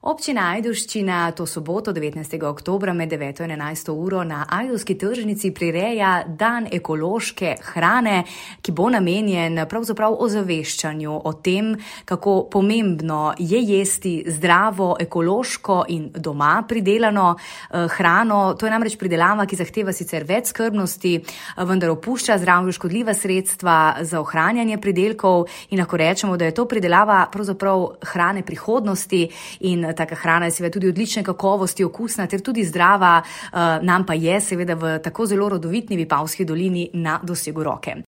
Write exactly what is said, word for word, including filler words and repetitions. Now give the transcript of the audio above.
Občina Ajdovščina to soboto, devetnajstega oktobra med deveto in enajsto uro na ajdovski tržnici prireja dan ekološke hrane, ki bo namenjen pravzaprav ozaveščanju o tem, kako pomembno je jesti zdravo, ekološko in doma pridelano eh, hrano. To je namreč pridelava, ki zahteva sicer več skrbnosti, vendar opušča zdravju škodljiva sredstva za ohranjanje pridelkov in lahko rečemo, da je to pridelava pravzaprav hrane prihodnosti in taka hrana je seveda tudi odlične kakovosti, okusna ter tudi zdrava, nam pa je seveda v tako zelo rodovitni Vipavski dolini na dosegu roke.